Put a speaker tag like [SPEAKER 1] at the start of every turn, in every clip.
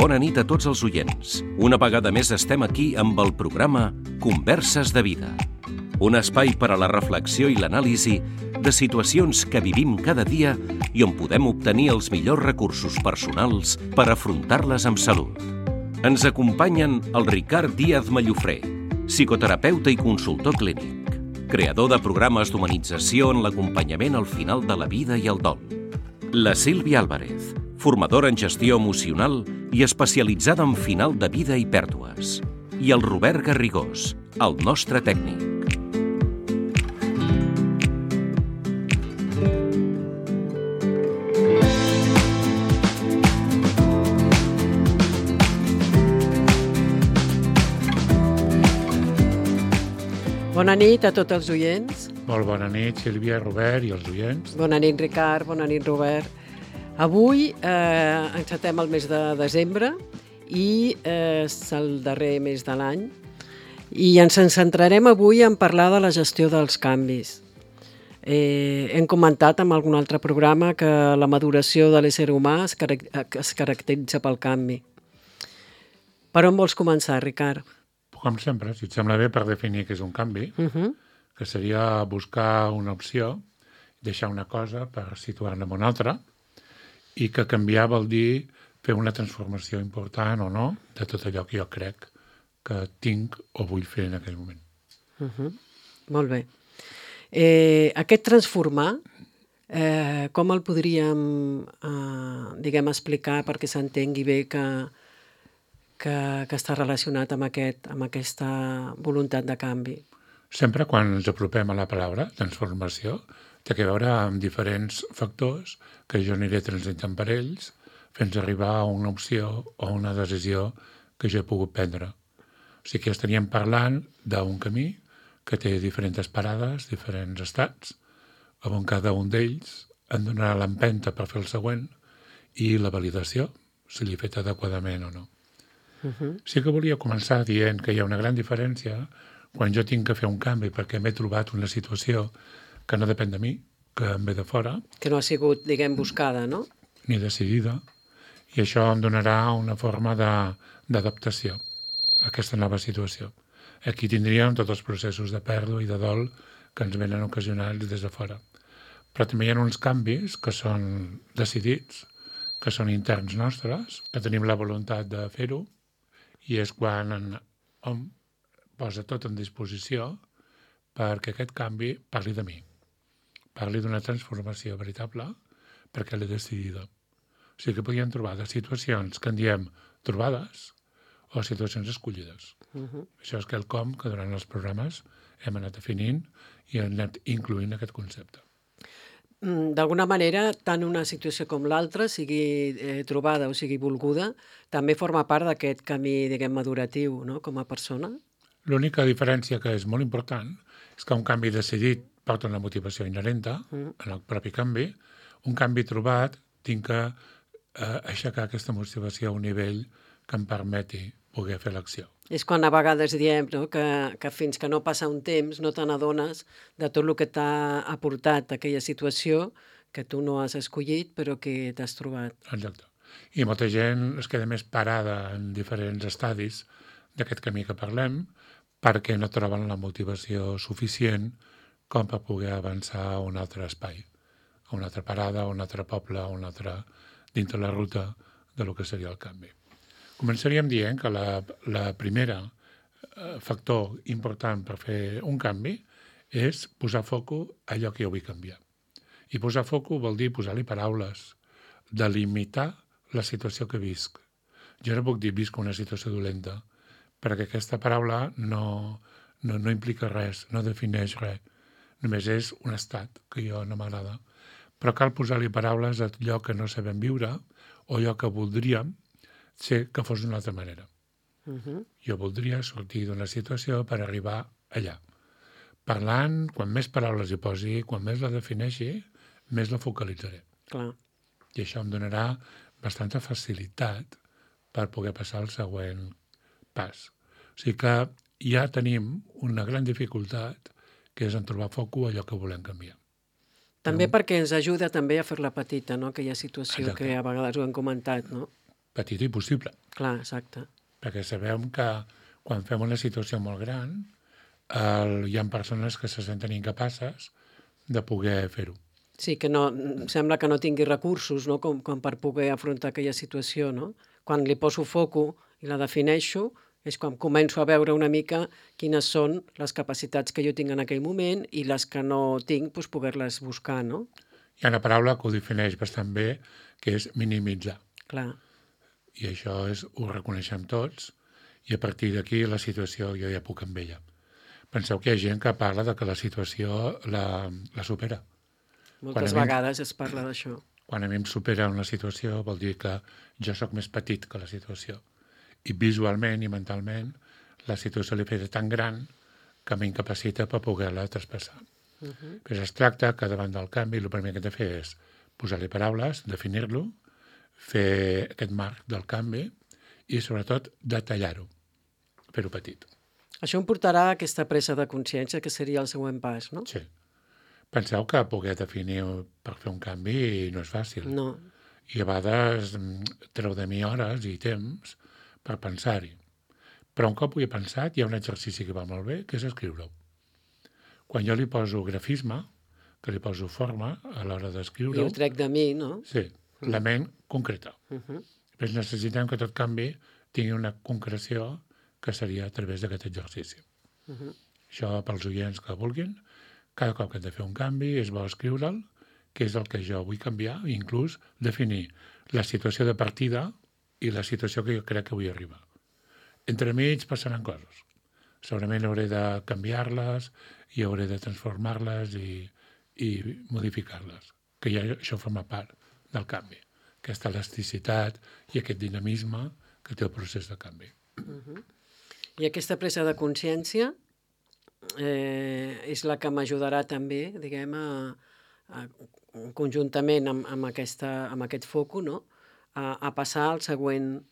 [SPEAKER 1] Bona nit a tots els oients. Una vegada més estem aquí amb el programa Converses de Vida. Un espai per a la reflexió i l'anàlisi de situacions que vivim cada dia i on podem obtenir els millors recursos personals per afrontar-les amb salut. Ens acompanyen el Ricard Díaz Mallofré, psicoterapeuta i consultor clínic, creador de programes d'humanització en l'acompanyament al final de la vida i el dol. La Sílvia Álvarez, formadora en gestió emocional i especialitzada en final de vida i pèrdues. I el Robert Garrigós, el nostre tècnic.
[SPEAKER 2] Bona nit a tots els oients.
[SPEAKER 3] Molt bona nit, Sílvia, Robert i els oients.
[SPEAKER 2] Bona nit, Ricard. Bona nit, Robert. Avui encetem el mes de desembre i és el darrer mes de l'any i ens centrarem avui en parlar de la gestió dels canvis. Hem comentat en algun altre programa que la maduració de l'ésser humà es caracteritza pel canvi. Per on vols començar, Ricard?
[SPEAKER 3] Com sempre, si et sembla bé, per definir què és un canvi, que seria buscar una opció, deixar una cosa per situar-la en una altra, i que canviar vol dir fer una transformació important o no de tot allò que jo crec que tinc o vull fer en aquell moment.
[SPEAKER 2] Molt bé. Aquest transformar, com el podríem explicar perquè s'entengui bé que està relacionat amb aquesta voluntat de canvi?
[SPEAKER 3] Sempre quan ens apropem a la paraula transformació, té a veure amb diferents factors que jo aniré transitant per ells fins a arribar a una opció o una decisió que jo he pogut prendre. O sigui que estaríem parlant d'un camí que té diferents parades, diferents estats, on cada un d'ells em donarà l'empenta per fer el següent i la validació, si l'he fet adequadament o no. Sí que volia començar dient que hi ha una gran diferència quan jo tinc que fer un canvi perquè m'he trobat una situació que no depèn de mi, que em ve de fora.
[SPEAKER 2] Que no ha sigut, buscada, no?
[SPEAKER 3] Ni decidida. I això em donarà una forma d'adaptació a aquesta nova situació. Aquí tindríem tots els processos de pèrdua i de dol que ens venen ocasionats des de fora. Però també hi ha uns canvis que són decidits, que són interns nostres, que tenim la voluntat de fer-ho, i és quan hom posa tot en disposició perquè aquest canvi parli de mi. Parli d'una transformació veritable perquè l'he decidida. O sigui que podríem trobar de situacions que en diem trobades o situacions escollides. Això és quelcom que durant els programes hem anat definint i hem anat incloent aquest concepte.
[SPEAKER 2] D'alguna manera, tant una situació com l'altra, sigui trobada o sigui volguda, també forma part d'aquest camí, maduratiu, no?, com a persona.
[SPEAKER 3] L'única diferència que és molt important és que un canvi decidit porta una motivació inherenta en el propi canvi. Un canvi trobat tinc que aixecar aquesta motivació a un nivell que em permeti poder fer l'acció.
[SPEAKER 2] És quan a vegades diem, no?, que fins que no passa un temps no te n'adones de tot el que t'ha aportat aquella situació que tu no has escollit però que t'has trobat.
[SPEAKER 3] Exacte. I molta gent es queda més parada en diferents estadis d'aquest camí que parlem perquè no troben la motivació suficient com per poder avançar a un altre espai, a una altra parada, a un altre poble, a un altre dintre la ruta de lo que seria el canvi. Començaríem dient que la primera factor important per fer un canvi és posar foco a allò que jo vull canviar. I posar foco vol dir posar-li paraules, delimitar la situació que visc. Jo no puc dir visc una situació dolenta, perquè aquesta paraula no implica res, no defineix res. Només és un estat que jo no m'agrada. Però cal posar-li paraules a allò que no sabem viure o allò que voldríem ser que fos d'una altra manera. Jo voldria sortir d'una situació per arribar allà. Parlant, quan més paraules hi posi, quan més la defineixi, més la focalitzaré.
[SPEAKER 2] Clar.
[SPEAKER 3] I això em donarà bastanta facilitat per poder passar al següent pas. O sigui que ja tenim una gran dificultat que és en trobar foco allò que volem canviar.
[SPEAKER 2] També perquè ens ajuda també a fer-la petita, no?, aquella situació. Exacte. Que a vegades ho hem comentat, no?
[SPEAKER 3] petit i possible.
[SPEAKER 2] Clar, exacte.
[SPEAKER 3] Perquè sabem que quan fem una situació molt gran hi ha persones que se senten incapaces de poder fer-ho.
[SPEAKER 2] Sí, que no, sembla que no tingui recursos, no?, com per poder afrontar aquella situació, no? Quan li poso foco i la defineixo, és quan començo a veure una mica quines són les capacitats que jo tinc en aquell moment i les que no tinc, doncs poder-les buscar, no?
[SPEAKER 3] Hi ha una paraula que ho defineix bastant bé, que és minimitzar.
[SPEAKER 2] Clar.
[SPEAKER 3] I això ho reconeixem tots, i a partir d'aquí la situació jo ja puc amb ella. Penseu que hi ha gent que parla de que la situació la supera.
[SPEAKER 2] Moltes vegades es parla d'això.
[SPEAKER 3] Quan a mi em supera una situació vol dir que jo sóc més petit que la situació. I visualment i mentalment la situació li fa tan gran que m'incapacita per poder-la traspassar. Però es tracta que davant del canvi el primer que he de fer és posar-li paraules, definir-lo, fer aquest marc del canvi i sobretot detallar-ho, fer-ho petit.
[SPEAKER 2] Això em portarà a aquesta presa de consciència, que seria el següent pas, no?
[SPEAKER 3] Sí. Penseu que poder definir per fer un canvi no és fàcil.
[SPEAKER 2] No.
[SPEAKER 3] I a vegades treu de mi hores i temps per pensar-hi. Però un cop ho he pensat, hi ha un exercici que va molt bé, que és escriure-ho. Quan jo li poso grafisme, que li poso forma a l'hora d'escriure-ho...
[SPEAKER 2] I ho trec de mi, no?
[SPEAKER 3] Sí, la ment concreta. Però necessitem que tot canvi tingui una concreció que seria a través d'aquest exercici. Això pels oients que vulguin, cada cop que hem de fer un canvi és bo escriure'l, que és el que jo vull canviar, i inclús definir la situació de partida i la situació que jo crec que vull arribar. Entremig passaran coses. Segurament hauré de canviar-les i hauré de transformar-les i modificar-les, que ja això forma part del canvi, aquesta elasticitat i aquest dinamisme que té el procés de canvi.
[SPEAKER 2] I aquesta presa de consciència és la que m'ajudarà també, diguem, conjuntament amb aquest foco, no?, a passar a la següent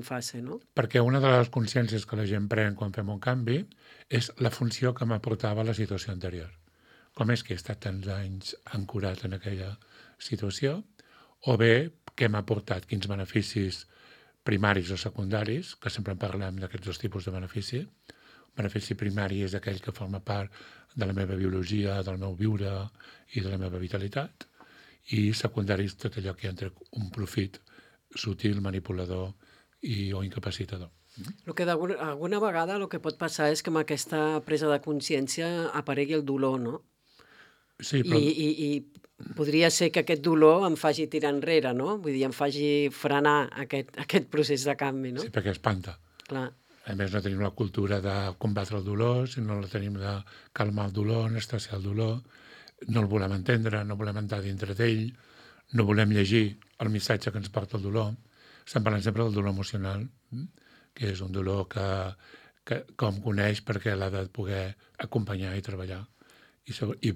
[SPEAKER 2] fase, no?
[SPEAKER 3] Perquè una de les consciències que la gent pren quan fem un canvi és la funció que m'aportava la situació anterior. Com és que he estat tants anys ancorat en aquella situació, o bé què m'ha portat, quins beneficis primaris o secundaris, que sempre en parlem d'aquests dos tipus de benefici. El benefici primari és aquell que forma part de la meva biologia, del meu viure i de la meva vitalitat, i secundari és tot allò que entra un profit sutil, manipulador o incapacitador.
[SPEAKER 2] El que alguna vegada el que pot passar és que amb aquesta presa de consciència aparegui el dolor, no?
[SPEAKER 3] Sí, però...
[SPEAKER 2] I podria ser que aquest dolor em faci tirar enrere, no? Vull dir, em faci frenar aquest procés de canvi, no?
[SPEAKER 3] Sí, perquè espanta.
[SPEAKER 2] Clar.
[SPEAKER 3] A més, no tenim la cultura de combatre el dolor, sinó la tenim de calmar el dolor, anestesiar el dolor, no el volem entendre, no volem entrar dintre d'ell, no volem llegir el missatge que ens porta el dolor. Estem parlant sempre del dolor emocional, que és un dolor que com coneix perquè l'ha de poder acompanyar i treballar. I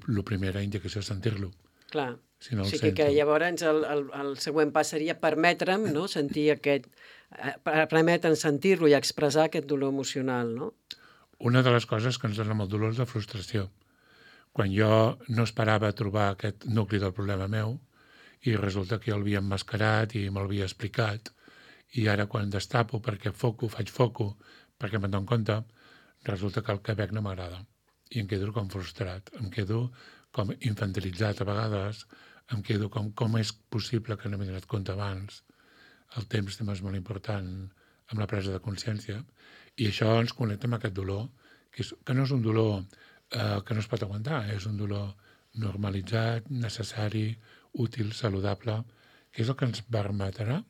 [SPEAKER 3] la primera indicació és sentir-lo.
[SPEAKER 2] Clar.
[SPEAKER 3] Si no
[SPEAKER 2] o sigui que llavors el següent pas seria permetre'm, no?, sentir permetre'm sentir-lo i expressar aquest dolor emocional, no?
[SPEAKER 3] Una de les coses que ens dona molt dolor és la frustració. Quan jo no esperava trobar aquest nucli del problema meu i resulta que jo l'havia emmascarat i me'l havia explicat, i ara quan destapo perquè faig foco, perquè me'n dono compte, resulta que el que veig no m'agrada. I em quedo com frustrat, em quedo com infantilitzat a vegades, em quedo com és possible que no m'he donat compte abans. El temps també és molt important amb la presa de consciència, i això ens connecta amb aquest dolor, que no és un dolor que no es pot aguantar, és un dolor normalitzat, necessari, útil, saludable, que és el que ens permetrà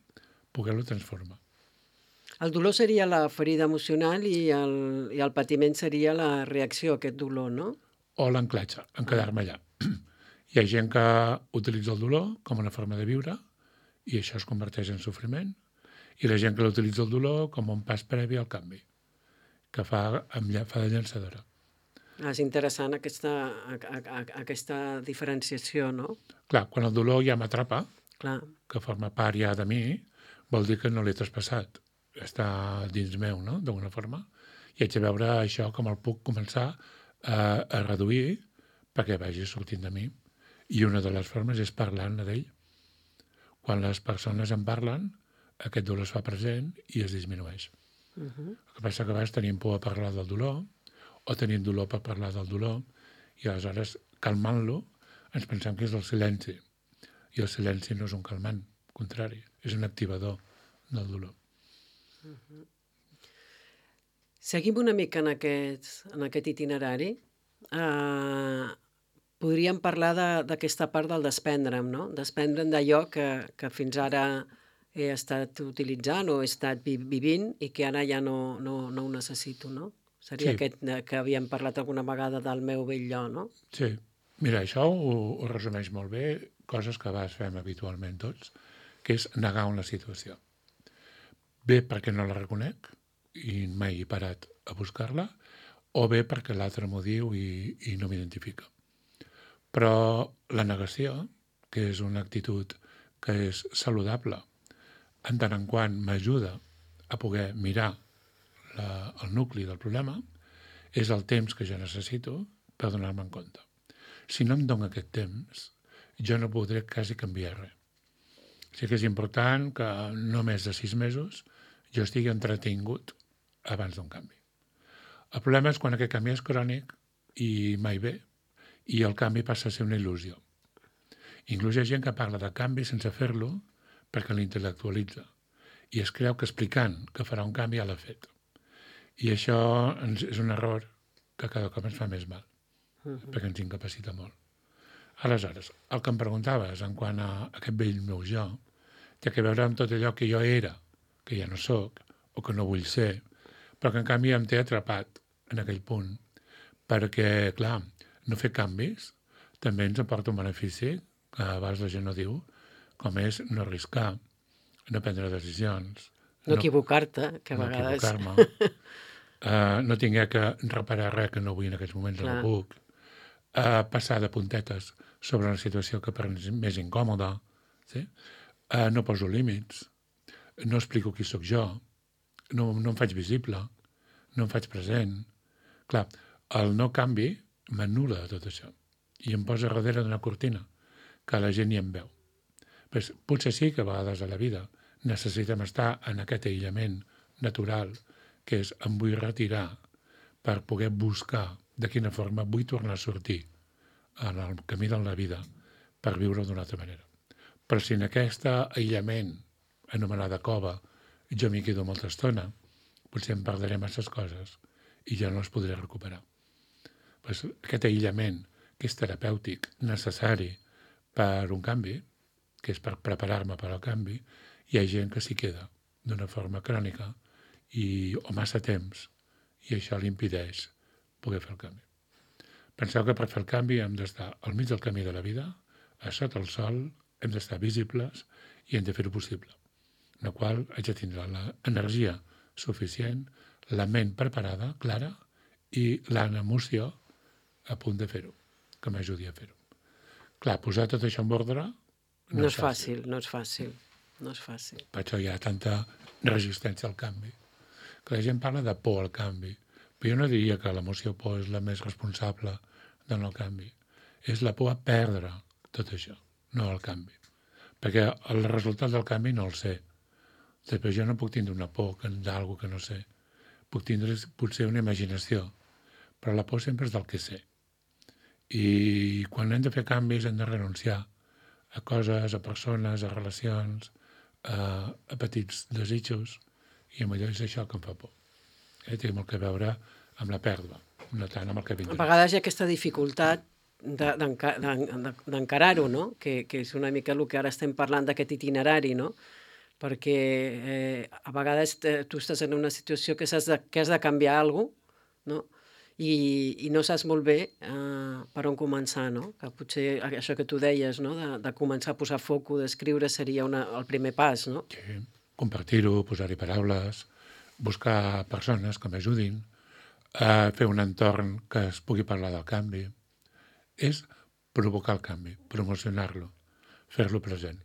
[SPEAKER 3] poder-lo transformar.
[SPEAKER 2] El dolor seria la ferida emocional i el patiment seria la reacció a aquest dolor, no?
[SPEAKER 3] O l'anclatge, en quedar-me allà. Hi ha gent que utilitza el dolor com una forma de viure i això es converteix en sofriment, i la gent que utilitza el dolor com un pas previ al canvi, que fa de llançadora.
[SPEAKER 2] És interessant aquesta diferenciació, no?
[SPEAKER 3] Clar, quan el dolor ja m'atrapa,
[SPEAKER 2] Clar.
[SPEAKER 3] que forma part ja de mi, vol dir que no l'he traspassat. Està dins meu, no?, d'alguna forma. I haig de veure això com el puc començar a reduir perquè vagi sortint de mi. I una de les formes és parlant d'ell. Quan les persones en parlen, aquest dolor es fa present i es disminueix. El que passa que a vegades tenim por a parlar del dolor o tenim dolor per parlar del dolor i aleshores, calmant-lo, ens pensem que és el silenci. I el silenci no és un calmant, al contrari, és un activador del dolor.
[SPEAKER 2] Seguim una mica en aquest itinerari. Podríem parlar d'aquesta part del desprendre'm, no? Desprendre'm d'allò que fins ara he estat utilitzant o he estat vivint i que ara ja no ho necessito, no? Seria aquest que havíem parlat alguna vegada del meu vell jo, no?
[SPEAKER 3] Sí. Mira, això ho resumeix molt bé, coses que a vegades fem habitualment tots, que és negar una situació. Bé perquè no la reconec i mai he parat a buscar-la, o bé perquè l'altre m'ho diu i no m'identifica. Però la negació, que és una actitud que és saludable, en tant en quant m'ajuda a poder mirar el nucli del problema, és el temps que jo necessito per donar-me en compte. Si no em dono aquest temps, jo no podré quasi canviar res. Sí que és important que no més de 6 mesos jo estigui entretingut abans d'un canvi. El problema és quan aquest canvi és crònic i mai ve, i el canvi passa a ser una il·lusió. Inclús hi ha gent que parla de canvi sense fer-lo perquè l'intel·lectualitza i es creu que explicant que farà un canvi ja l'ha fet. I això és un error que cada cop ens fa més mal, perquè ens incapacita molt. Aleshores, el que em preguntaves en quant a aquest vell meu jo té a veure amb tot allò que jo era, que ja no sóc, o que no vull ser, però que en canvi em té atrapat en aquell punt, perquè, clar, no fer canvis també ens aporta un benefici que a vegades la gent no diu, com és no arriscar, no prendre decisions,
[SPEAKER 2] no equivocar-te, que a vegades...
[SPEAKER 3] No equivocar-me, no tinguer que reparar res que no vull en aquests moments, no puc, passar de puntetes sobre una situació que per mi és més incòmoda, sí? No poso límits, no explico qui sóc jo, no em faig visible, no em faig present. Clar, el no canvi m'anul·la de tot això i em posa darrere d'una cortina que la gent ni em veu. Pues, potser sí que a vegades a la vida necessitem estar en aquest aïllament natural que és em vull retirar per poder buscar de quina forma vull tornar a sortir en el camí de la vida per viure d'una altra manera. Però si en aquest aïllament anomenada cova jo m'hi quedo molta estona, potser em perdré masses coses i ja no les podré recuperar. Pues aquest aïllament, que és terapèutic, necessari per un canvi, que és per preparar-me per al canvi, hi ha gent que s'hi queda d'una forma crònica o massa temps, i això li impedeix poder fer el canvi. Penseu que per fer el canvi hem d'estar al mig del camí de la vida, a sota el sol, hem d'estar visibles i hem de fer-ho possible, en la qual haig de tindre l'energia suficient, la ment preparada, clara, i l'emoció a punt de fer-ho, que m'ajudi a fer-ho. Clar, posar tot això en ordre
[SPEAKER 2] no és fàcil. No és fàcil.
[SPEAKER 3] Per això hi ha tanta resistència al canvi. Que la gent parla de por al canvi, però jo no diria que l'emoció por és la més responsable del no canvi. És la por a perdre tot això, no al canvi. Perquè el resultat del canvi no el sé. Després jo no puc tindre una por d'alguna que no sé. Puc tindre potser una imaginació, però la por sempre és del que sé. I quan hem de fer canvis hem de renunciar a coses, a persones, a relacions, a petits desitjos, i amb allò és això que em fa por. Té molt a veure amb la pèrdua, no tant amb el que vindrà.
[SPEAKER 2] A vegades hi ha aquesta dificultat d'encarar-ho, no? Que és una mica el que ara estem parlant d'aquest itinerari, no? Perquè a vegades tu estàs en una situació que has de canviar alguna cosa, no? I no saps molt bé per on començar, no? Que potser això que tu deies, no? De començar a posar foco, d'escriure seria el primer pas, no?
[SPEAKER 3] Sí, compartir-ho, posar-hi paraules, buscar persones que m'ajudin, fer un entorn que es pugui parlar del canvi. És provocar el canvi, promocionar-lo, fer-lo present.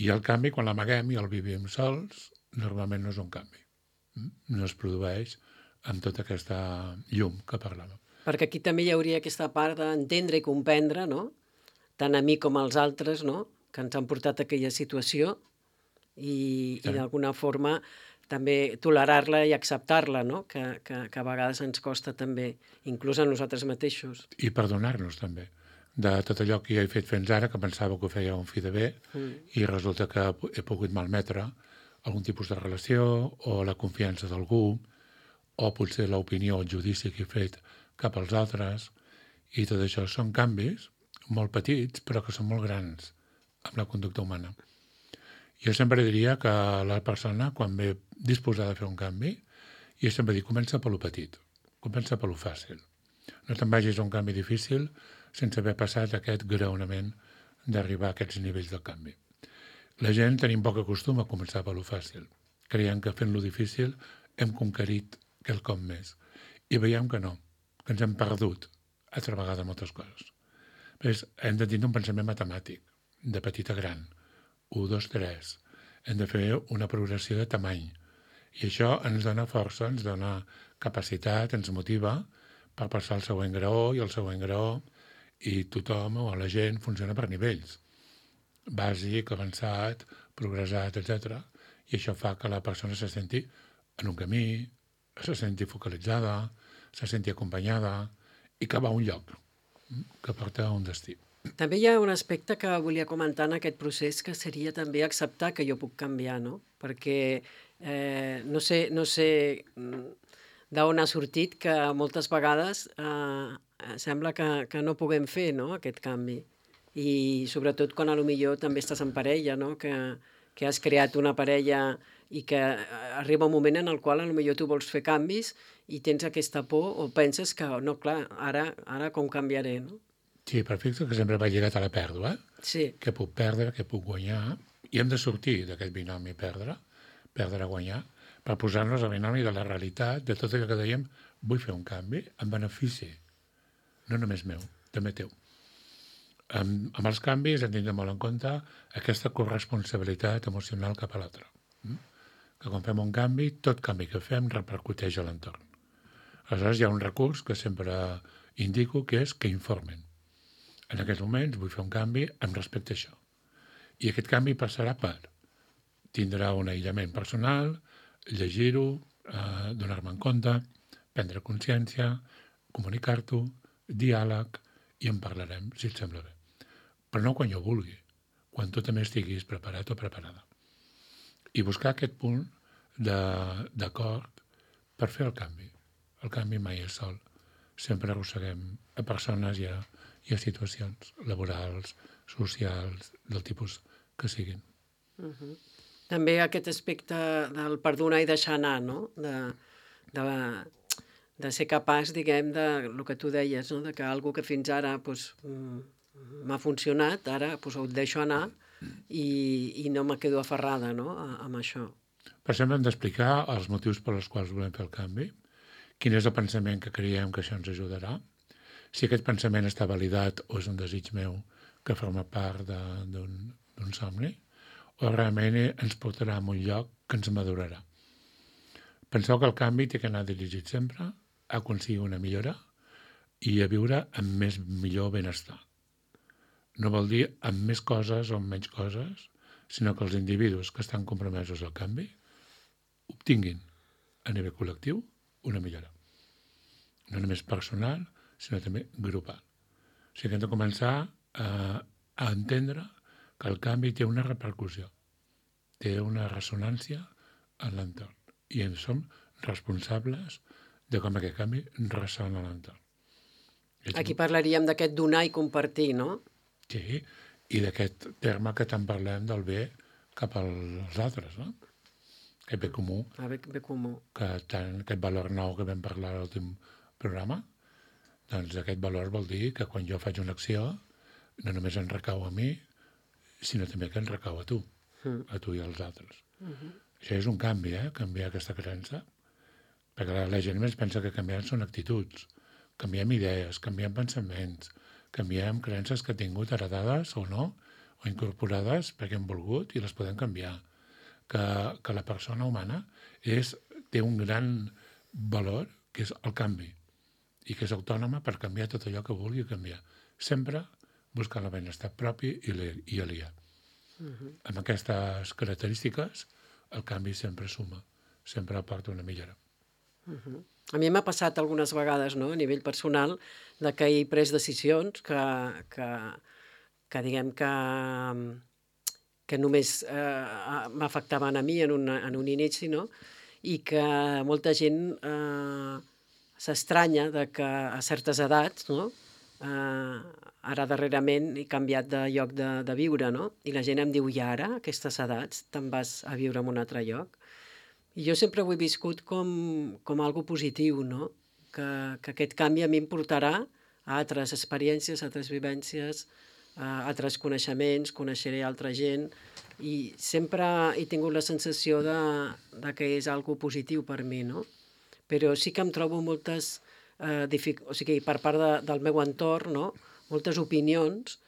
[SPEAKER 3] I el canvi, quan l'amaguem i el vivim sols, normalment no és un canvi. No es produeix amb tota aquesta llum que parlàvem.
[SPEAKER 2] Perquè aquí també hi hauria aquesta part d'entendre i comprendre, no? Tant a mi com als altres, no? ens han portat a aquella situació i d'alguna forma també tolerar-la i acceptar-la, no? Que a vegades ens costa també, inclús a nosaltres mateixos.
[SPEAKER 3] I perdonar-nos també de tot allò que jo he fet fins ara, que pensava que ho feia un fi de bé, i resulta que he pogut malmetre algun tipus de relació o la confiança d'algú, o potser l'opinió o el judici que he fet cap als altres, i tot això són canvis molt petits, però que són molt grans amb la conducta humana. Jo sempre diria que la persona, quan ve disposada a fer un canvi, jo sempre dic, comença per lo petit, comença per lo fàcil. No te'n vagis a un canvi difícil sense haver passat aquest graonament d'arribar a aquests nivells del canvi. La gent tenim poc costum a començar per lo fàcil. Creiem que fent lo difícil hem conquerit quelcom més. I veiem que no, que ens hem perdut altra vegada moltes coses. Però hem de tindre un pensament matemàtic, de petit a gran. 1, 2, 3. Hem de fer una progressió de tamany. I això ens dona força, ens dona capacitat, ens motiva per passar al següent graó i al següent graó, i tothom o la gent funciona per nivells. Bàsic, avançat, progressat, etc. I això fa que la persona se senti en un camí, se senti focalitzada, se senti acompanyada i que va a un lloc, que porta a un destí.
[SPEAKER 2] També hi ha un aspecte que volia comentar en aquest procés, que seria també acceptar que jo puc canviar, no? Perquè no sé d'on ha sortit que moltes vegades sembla que no puguem fer, no?, aquest canvi. I sobretot quan potser també estàs en parella, no?, que has creat una parella i que arriba un moment en el qual potser tu vols fer canvis i tens aquesta por o penses que, no, clar, ara com canviaré, no?
[SPEAKER 3] Sí, però fixa't que sempre va lligat a la pèrdua.
[SPEAKER 2] Sí.
[SPEAKER 3] Què puc perdre, què puc guanyar, i hem de sortir d'aquest binomi perdre, guanyar, per posar-nos al binomi de la realitat, de tot allò que dèiem, vull fer un canvi en benefici, no només meu, també teu. Amb els canvis hem de tenir molt en compte aquesta corresponsabilitat emocional cap a l'altre. Que quan fem un canvi, tot canvi que fem repercuteix a l'entorn. Aleshores hi ha un recurs que sempre indico, que és que informen. En aquests moments vull fer un canvi amb respecte a això. I aquest canvi passarà per tindrà un aïllament personal, llegir-ho, donar-me en compte, prendre consciència, comunicar-t'ho, diàleg, i en parlarem, si et sembla bé. Però no quan jo vulgui, quan tu també estiguis preparat o preparada. I buscar aquest punt d'acord per fer el canvi. El canvi mai és sol. Sempre arrosseguem a persones i a situacions laborals, socials, del tipus que siguin.
[SPEAKER 2] També aquest aspecte del perdonar i deixar anar, no? De ser capaç, diguem, del que tu deies, no? De que algo que fins ara m'ha funcionat, ara ho deixo anar i no me quedo aferrada, no?, amb això.
[SPEAKER 3] Per exemple, hem d'explicar els motius per als quals volem fer el canvi, quin és el pensament que creiem que això ens ajudarà, si aquest pensament està validat o és un desig meu que forma part d'un somni, o realment ens portarà a un lloc que ens madurarà. Penseu que el canvi té que anar dirigit sempre a aconseguir una millora i a viure amb millor benestar. No vol dir amb més coses o amb menys coses, sinó que els individus que estan compromesos al canvi obtinguin a nivell col·lectiu una millora. No només personal, sinó també grupal. O sigui que hem de començar a entendre que el canvi té una repercussió, té una ressonància en l'entorn. I en som responsables de com aquest canvi ressona a l'entorn.
[SPEAKER 2] Aquí parlaríem d'aquest donar i compartir, no?
[SPEAKER 3] Sí, i d'aquest terme que tant parlem del bé cap als altres, no? Aquest bé comú.
[SPEAKER 2] Bé comú.
[SPEAKER 3] Aquest valor nou que vam parlar a l'últim programa, doncs aquest valor vol dir que quan jo faig una acció no només en recau a mi, sinó també que en recau a tu i als altres. Això és un canvi, canviar aquesta creença, perquè la gent més pensa que canviar són actituds, canviem idees, canviem pensaments, canviem creences que he tingut heredades o no, o incorporades perquè hem volgut i les podem canviar. Que la persona humana té un gran valor, que és el canvi, i que és autònoma per canviar tot allò que vulgui canviar. Sempre buscant el benestar propi i aliat. Amb aquestes característiques, el canvi sempre suma, sempre aporta una millora.
[SPEAKER 2] A mi m'ha passat algunes vegades, no?, a nivell personal, de que he pres decisions que diguem que només m'afectaven a mi en un inici, no?, i que molta gent s'estranya de que a certes edats, no?, ara darrerament he canviat de lloc de viure, no?, i la gent em diu, i ara, a aquestes edats, te'n vas a viure en un altre lloc? I jo sempre ho he viscut com algo positiu, no?, que aquest canvi a mi em portarà a altres experiències, a altres vivències, a altres coneixements, coneixeré altra gent, i sempre he tingut la sensació de que és algo positiu per mi, no? Però sí que em trobo moltes, o sigui, per part del meu entorn, no?, moltes opinions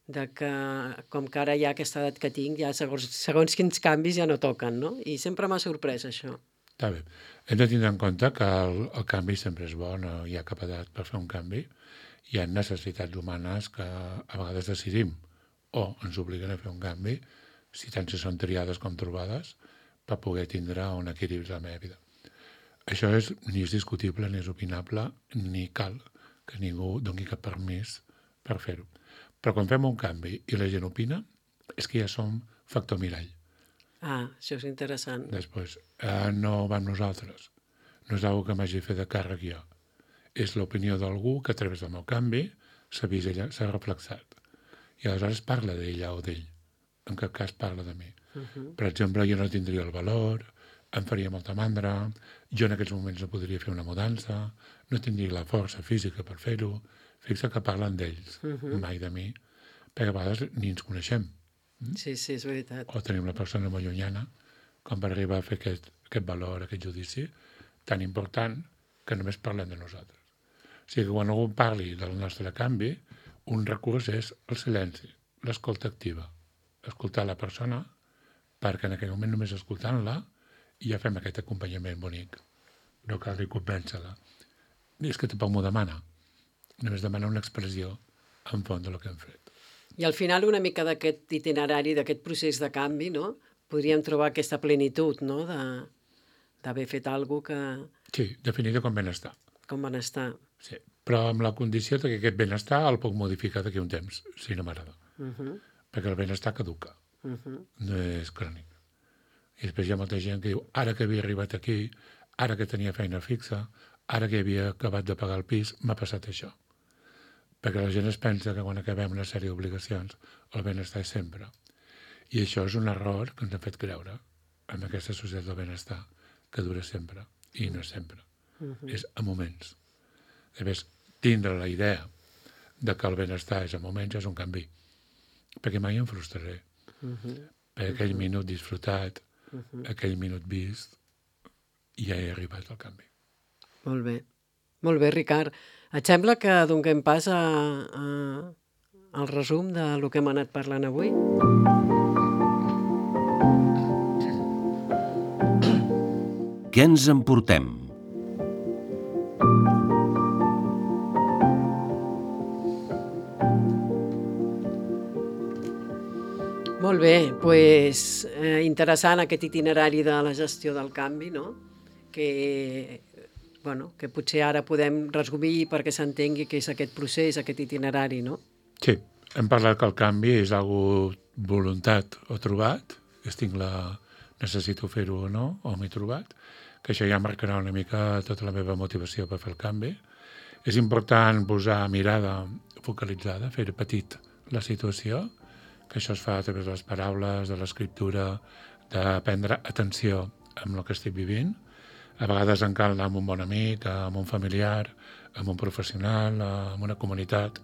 [SPEAKER 2] de que, com que ara ja aquesta edat que tinc, ja segons quins canvis ja no toquen, no? I sempre m'ha sorprès això.
[SPEAKER 3] Està bé. Hem de tindre en compte que el canvi sempre és bo, no hi ha cap edat per fer un canvi. Hi ha necessitats humanes que a vegades decidim o ens obliguen a fer un canvi, si tant si són triades com trobades, per poder tindre un equilibri a la meva vida. Això ni és discutible, ni és opinable, ni cal que ningú doni cap permís per fer-ho. Però quan fem un canvi i la gent opina, és que ja som factor mirall.
[SPEAKER 2] Ah, això és interessant.
[SPEAKER 3] Després, no va amb nosaltres. No és una que m'hagi fet de càrrec jo. És l'opinió d'algú que a través del meu canvi s'ha reflexat. I aleshores parla d'ella o d'ell. En cap cas parla de mi. Per exemple, jo no tindria el valor, em faria molta mandra, jo en aquests moments no podria fer una mudança, no tindria la força física per fer-ho. Fixa que parlen d'ells, mai de mi, perquè a vegades ni ens coneixem.
[SPEAKER 2] Sí, és veritat.
[SPEAKER 3] O tenim una persona molt llunyana com per arribar a fer aquest valor, aquest judici tan important que només parlem de nosaltres. O sigui que quan algú parli del nostre canvi, un recurs és el silenci, l'escolta activa. Escoltar la persona perquè en aquell moment només escoltant-la ja fem aquest acompanyament bonic. No cal ni convèncer-la. I és que tampoc m'ho demana. Només demana una expressió en fons del que hem fet.
[SPEAKER 2] I al final una mica d'aquest itinerari, d'aquest procés de canvi, no?, podríem trobar aquesta plenitud, no?, d'haver fet alguna que...
[SPEAKER 3] Sí, definida com benestar.
[SPEAKER 2] Com benestar.
[SPEAKER 3] Sí, però amb la condició que aquest benestar el puc modificar d'aquí un temps, si no m'agrada. Perquè el benestar caduca, no és crònic. I després hi ha molta gent que diu, ara que havia arribat aquí, ara que tenia feina fixa, ara que havia acabat de pagar el pis, m'ha passat això. Perquè la gent es pensa que quan acabem una sèrie d'obligacions el benestar és sempre. I això és un error que ens ha fet creure en aquesta societat del benestar, que dura sempre, i no és sempre. És a moments. A més, tindre la idea de que el benestar és a moments és un canvi. Perquè mai em frustraré. Per aquell minut disfrutat, aquell minut vist, ja he arribat al canvi.
[SPEAKER 2] Molt bé. Molt bé, Ricard. Et sembla que donem pas al resum del que hem anat parlant avui?
[SPEAKER 1] Què ens emportem?
[SPEAKER 2] Molt bé, doncs interessant aquest itinerari de la gestió del canvi, no?, que potser ara podem resumir perquè s'entengui què és aquest procés, aquest itinerari, no?
[SPEAKER 3] Sí, hem parlat que el canvi és algo voluntat o trobat, necessito fer-ho o no, o m'he trobat, que això ja marcarà una mica tota la meva motivació per fer el canvi. És important posar mirada focalitzada, fer petit la situació, que això es fa a través de les paraules, de l'escriptura, de prendre atenció amb el que estic vivint. A vegades en cal anar amb un bon amic, amb un familiar, amb un professional, amb una comunitat,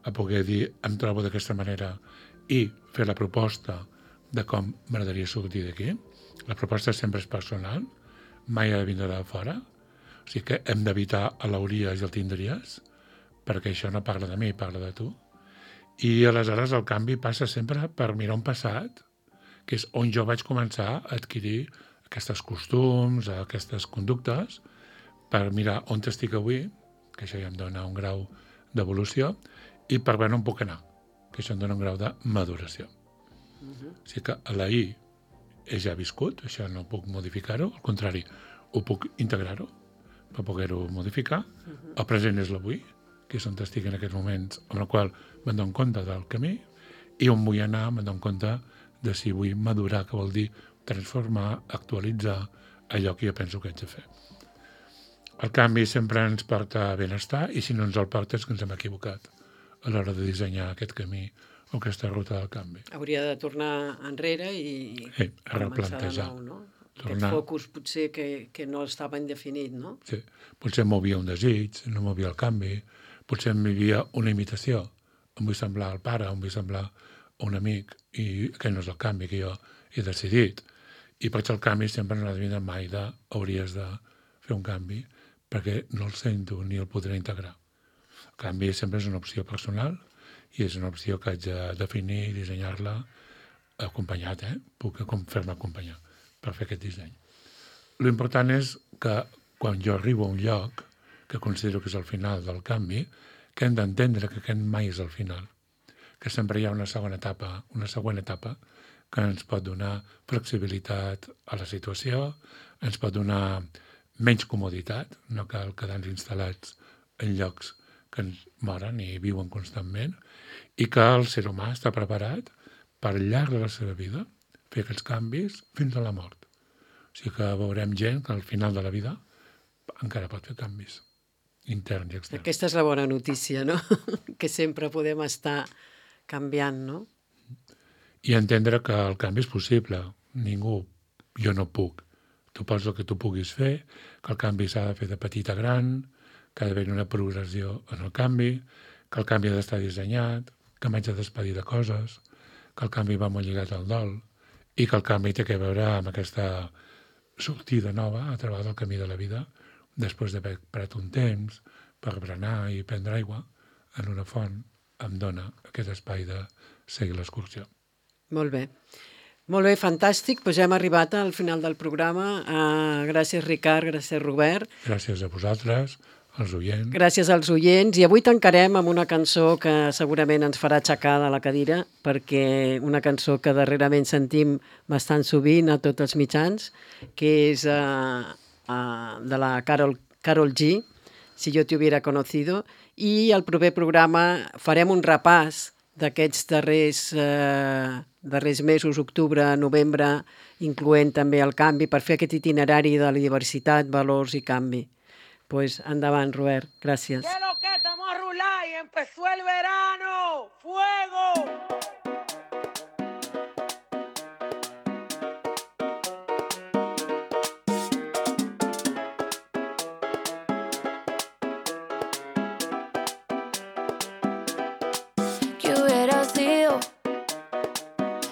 [SPEAKER 3] a poder dir em trobo d'aquesta manera i fer la proposta de com m'agradaria sortir d'aquí. La proposta sempre és personal, mai ha de vindre de fora. O sigui que hem d'evitar l'hauries i el tindries, perquè això no parla de mi, parla de tu. I aleshores el canvi passa sempre per mirar un passat, que és on jo vaig començar a adquirir aquests costums, aquestes conductes, per mirar on estic avui, que això ja em dona un grau d'evolució, i per veure on puc anar, que això em dona un grau de maduració. O sigui que a la I és ja viscut, això no puc modificar-ho, al contrari, ho puc integrar-ho per poder-ho modificar. El present és l'avui, que és on estic en aquests moments, amb el qual me'n dono compte del camí, i on vull anar me'n dono compte de si vull madurar, que vol dir transformar, actualitzar allò que jo penso que haig de fer. El canvi sempre ens porta a benestar, i si no ens el porta és que ens hem equivocat a l'hora de dissenyar aquest camí o aquesta ruta del canvi.
[SPEAKER 2] Hauria de tornar enrere i
[SPEAKER 3] replantejar.
[SPEAKER 2] Començar de nou, no? Aquest focus potser que no estava indefinit, no?
[SPEAKER 3] Sí. Potser em movia un desig, no movia el canvi, potser em vivia una imitació. Em vull semblar al pare, em vull semblar a un amic, i aquest no és el canvi que jo he decidit. I per això el canvi sempre en la vida mai hauries de fer un canvi, perquè no el sento ni el podré integrar. El canvi sempre és una opció personal i és una opció que haig de definir i dissenyar-la acompanyat, puc fer-me acompanyar per fer aquest disseny. L'important és que quan jo arribo a un lloc, que considero que és el final del canvi, que hem d'entendre que aquest mai és el final, que sempre hi ha una següent etapa que ens pot donar flexibilitat a la situació, ens pot donar menys comoditat, no cal quedar-nos instal·lats en llocs que ens moren i viuen constantment, i que el ser humà està preparat per al llarg de la seva vida fer aquests canvis fins a la mort. O sigui que veurem gent que al final de la vida encara pot fer canvis interns i externs.
[SPEAKER 2] Aquesta és la bona notícia, no? Que sempre podem estar canviant, no?
[SPEAKER 3] I entendre que el canvi és possible. Jo no puc. Tu pots el que tu puguis fer, que el canvi s'ha de fer de petit a gran, que ha d'haver una progressió en el canvi, que el canvi ha d'estar dissenyat, que m'haig de despedir de coses, que el canvi va molt lligat al dol, i que el canvi té a veure amb aquesta sortida nova a través del camí de la vida, després d'haver parat un temps per berenar i prendre aigua en una font, em dona aquest espai de seguir l'excursió.
[SPEAKER 2] Molt bé. Molt bé, fantàstic. Doncs ja hem arribat al final del programa. Gràcies, Ricard, gràcies, Robert.
[SPEAKER 3] Gràcies a vosaltres, als oients.
[SPEAKER 2] Gràcies als oients. I avui tancarem amb una cançó que segurament ens farà aixecar de la cadira, perquè una cançó que darrerament sentim bastant sovint a tots els mitjans, que és de la Karol G, Si yo te hubiera conocido, i al proper programa farem un repàs d'aquests darrers mesos, octubre, novembre, incloent també el canvi, per fer aquest itinerari de la diversitat, valors i canvi. Pues endavant, Robert. Gràcies.
[SPEAKER 4] ¿Qué lo que estamos a rular y empezó el verano? ¡Fuego!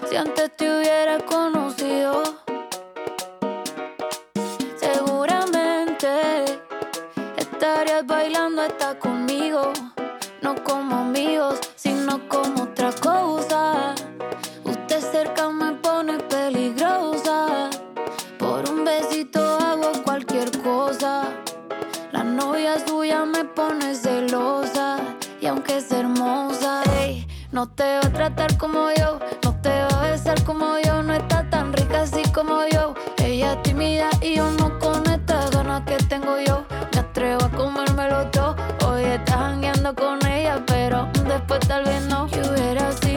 [SPEAKER 5] Si antes te hubiera conocido, seguramente estarías bailando hasta conmigo, no como amigos, sino como otra cosa. Usted cerca me pone peligrosa, por un besito hago cualquier cosa. La novia suya me pone celosa, y aunque es hermosa, ey, no te va a tratar como yo, no te va a besar como yo, no está tan rica así como yo. Ella es tímida y yo no con estas ganas que tengo yo. Me atrevo a comérmelo todo. Hoy estás jangueando con ella, pero después tal vez no. Yo hubiera sido